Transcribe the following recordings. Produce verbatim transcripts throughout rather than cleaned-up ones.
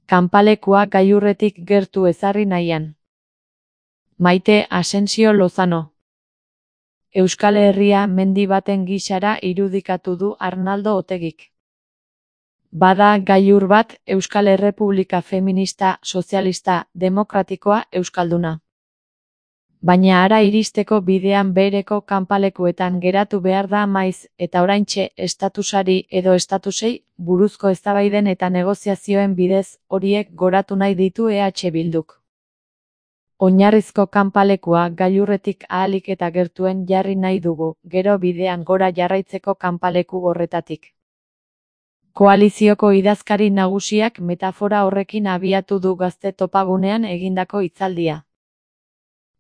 Kanpalekua gailurretik gertu ezarri nahian. Maite Asensio Lozano. Euskal Herria mendi baten gisara irudikatu du Arnaldo Otegik. Bada gailur bat Euskal Errepublika feminista, sozialista, demokratikoa, euskalduna. Baina hara iristeko bidean bereko kanpalekuetan geratu behar da maiz, eta oraintxe estatusari edo estatusei buruzko eztabaiden eta negoziazioen bidez horiek goratu nahi ditu E H Bilduk. Oinarrizko kanpalekua gailurretik ahalik eta gertuen jarri nahi dugu, gero bidean gora jarraitzeko kanpaleku horretatik. Koalizioko idazkari nagusiak metafora horrekin abiatu du Gazte topagunean egindako hitzaldia.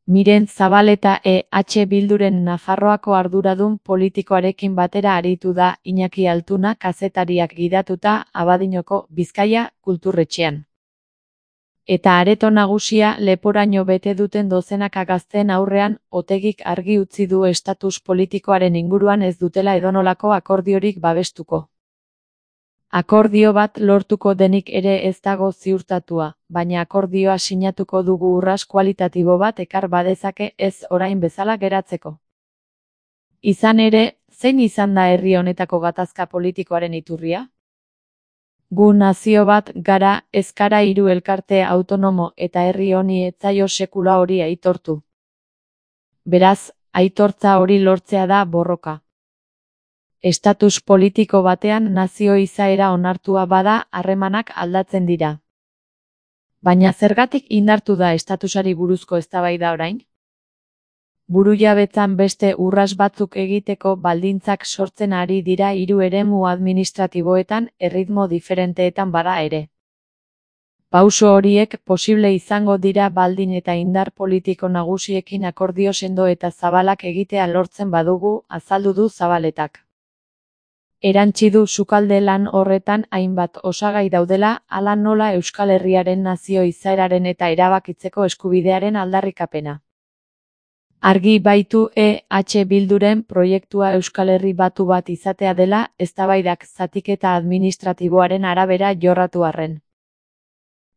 Miren Zabaleta E H Bilduren Nafarroako arduradun politikoarekin batera aritu da Iñaki Altuna kazetariak gidatuta Abadiñoko Bizkaia kulturretxean. Eta areto nagusia leporaino bete duten dozenaka gazteen aurrean Otegik argi utzi du estatus politikoaren inguruan ez dutela edonolako akordiorik babestuko. Akordio bat lortuko denik ere ez dago ziurtatua, baina akordioa sinatuko dugu urras kualitatibo bat ekar badezake ez orain bezala geratzeko. Izan ere, zein izan da herri honetako gatazka politikoaren iturria? Gu nazio bat gara, ez gara hiru elkarte autonomo eta herri honi ez zaio sekula hori aitortu. Beraz, aitortza hori lortzea da borroka. Estatus politiko batean nazio izaera onartua bada harremanak aldatzen dira. Baina zergatik indartu da estatusari buruzko eztabaida orain? Burujabetzan beste urras batzuk egiteko baldintzak sortzen ari dira hiru eremu administratiboetan erritmo diferenteetan bada ere. Pauso horiek posible izango dira baldin eta indar politiko nagusiekin akordio sendo eta zabalak egitea lortzen badugu, azaldu du Zabaletak. Erantsi du sukalde lan horretan hainbat osagai daudela, hala nola Euskal Herriaren nazio izaeraren eta erabakitzeko eskubidearen aldarrikapena. Argi baitu E H Bilduren proiektua Euskal Herri batu bat izatea dela, eztabaidak zatiketa administratiboaren arabera jorratu arren.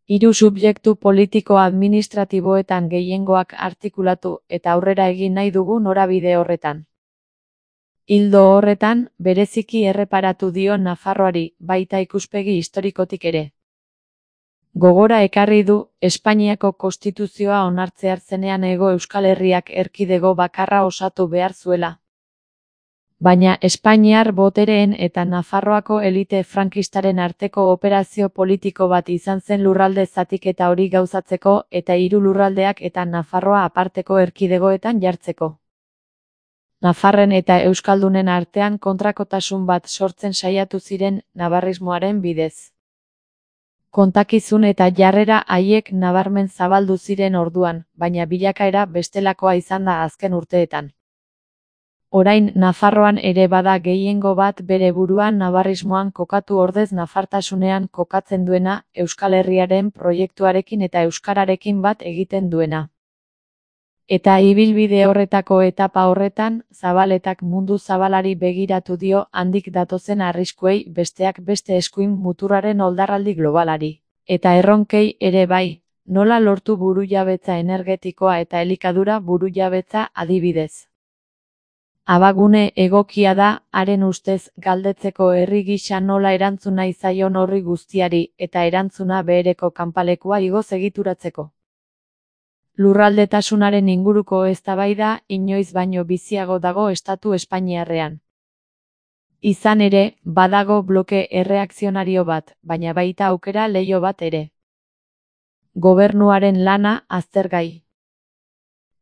Hiru subjektu politiko-administratiboetan gehiengoak artikulatu eta aurrera egin nahi dugu norabide horretan. Ildo horretan, bereziki erreparatu dio Nafarroari, baita ikuspegi historikotik ere. Gogora ekarri du, Espainiako konstituzioa onartzear zenean Hego Euskal Herriak erkidego bakarra osatu behar zuela. Baina Espainiar botereen eta Nafarroako elite frankistaren arteko operazio politiko bat izan zen lurralde zatiketa hori gauzatzeko eta hiru lurraldeak eta Nafarroa aparteko erkidegoetan jartzeko. Nafarren eta Euskaldunen artean kontrakotasun bat sortzen saiatu ziren nabarrismoaren bidez. Kontakizun eta jarrera haiek nabarmen zabaldu ziren orduan, baina bilakaera bestelakoa izan da azken urteetan. Orain Nafarroan ere bada gehiengo bat bere buruan nabarrismoan kokatu ordez nafartasunean kokatzen duena, Euskal Herriaren proiektuarekin eta euskararekin bat egiten duena. Eta ibilbide horretako etapa horretan, Zabaletak mundu zabalari begiratu dio handik datozen arriskuei besteak beste eskuin muturraren oldarraldi globalari. Eta erronkei ere bai, nola lortu burujabetza energetikoa eta elikadura burujabetza adibidez. Abagune egokia da, haren ustez galdetzeko herri gisa nola erantzun nahi zaion horri guztiari eta erantzuna behereko kanpalekua igoz egituratzeko. Lurraldetasunaren inguruko eztabaida inoiz baino biziago dago estatu espainiarrean. Izan ere, badago bloke erreakzionario bat, baina baita aukera leiho bat ere. Gobernuaren lana aztergai.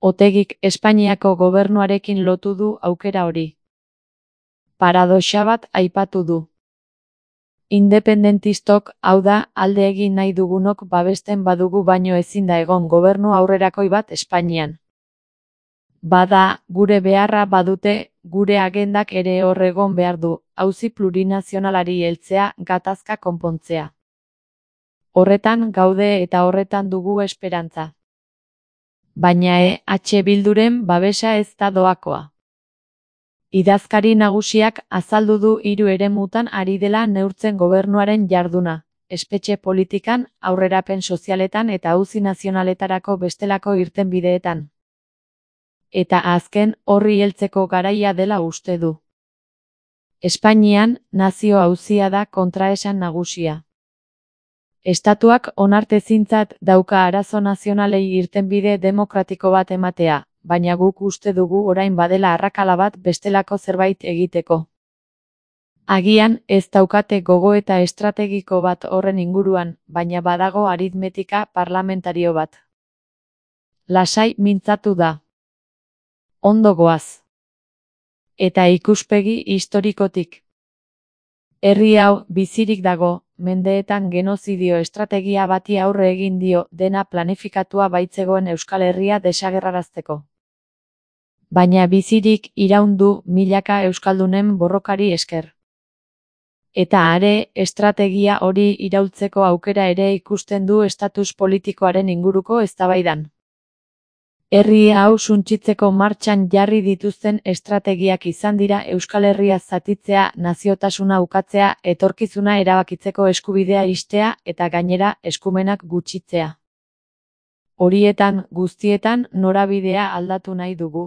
Otegik Espainiako gobernuarekin lotu du aukera hori. Paradoxa bat aipatu du. Independentistok, hau da, alde egin nahi dugunok babesten badugu baino ezin da egon gobernu aurrerakoi bat Espainian. Bada, gure beharra badute, gure agendak ere hor egon behar du, auzi plurinazionalari heltzea, gatazka konpontzea. Horretan gaude eta horretan dugu esperantza. Baina E H Bilduren babesa ez da doakoa. Idazkari nagusiak azaldu du hiru eremutan ari dela neurtzen gobernuaren jarduna, espetxe politikan, aurrerapen sozialetan eta auzi nazionaletarako bestelako irtenbideetan. Eta azken, horri heltzeko garaia dela uste du. Espainian, nazio auzia da kontraesan nagusia. Estatuak onartezintzat dauka arazo nazionalei irtenbide demokratiko bat ematea, baina guk uste dugu orain badela arrakala bat bestelako zerbait egiteko. Agian, ez daukate gogoeta estrategiko bat horren inguruan, baina badago aritmetika parlamentario bat. Lasai mintzatu da. Ondo goaz. Eta ikuspegi historikotik. Herri hau bizirik dago, mendeetan genozidio estrategia bati aurre egin dio dena planifikatua baitzegoen Euskal Herria desagerrarazteko. Baina bizirik iraun du milaka euskaldunen borrokari esker. Eta are, estrategia hori iraultzeko aukera ere ikusten du estatus politikoaren inguruko eztabaidan. Herri hau suntsitzeko martxan jarri dituzten estrategiak izan dira Euskal Herria zatitzea, naziotasuna ukatzea, etorkizuna erabakitzeko eskubidea ixtea eta gainera eskumenak gutxitzea. Horietan guztietan norabidea aldatu nahi dugu.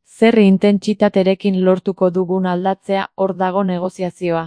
Zer intentsitaterekin lortuko dugun aldatzea hor dago negoziazioa.